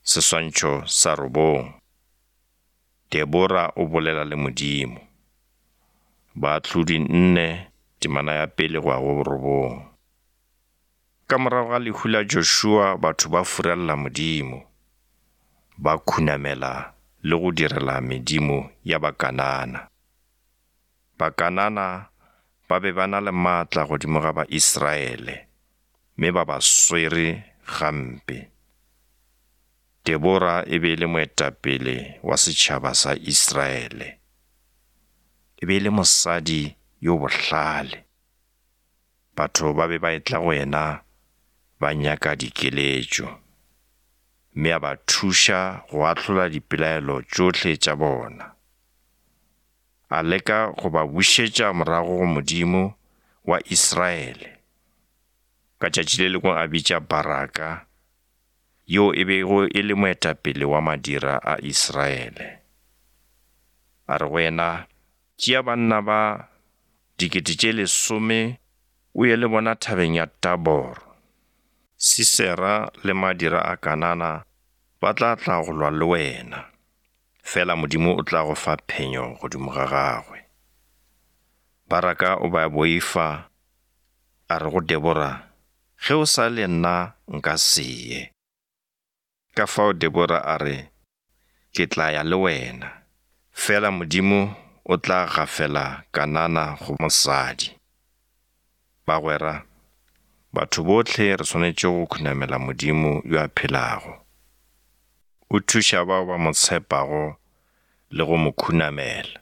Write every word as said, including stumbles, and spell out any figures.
Seswantšho sa robong. Debora o bolela le Modimo. Baahlodi nne, temana ya pele go ya go borobong. Ka morago ga lehu la Joshua batho ba furalela Modimo, ba khunamela le go direla medimo ya Bakanana. Bakanana ba be ba na le maatla godimo ga Baisraele, mme ba ba swere gampe. Debora e be e le moetapele wa setšhaba sa Israele. E be e le mosadi yo bohlale. Batho ba be ba etla go yena ba nyaka dikeletšo, mme a ba thuša go ahlola dipelaelo tšohle tša bona. A leka go ba bušetša morago go Modimo wa Israele. Ka tšatši le lengwe a bitša Baraka, yo e bego e le moetapele wa madira a Israele. A re go yena, tšea banna ba dikete tše lesome o ye le bona thabeng ya Tabor. Sisera le madira a Kanana ba tla tla go lwa le wena, fela Modimo o tla go fa phenyo godimo ga gagwe. Baraka o ba boifa, a re go Debora, ge o sa le nna nka se ye. Ka fao Debora a re, ke tla ya le wena, fela Modimo o tla gafela Kanana go mosadi. Bagwera, batho bohle re swanetše go khunamela Modimo yo a phelago. O thuša bao ba mo tshepago le go mo khunamela.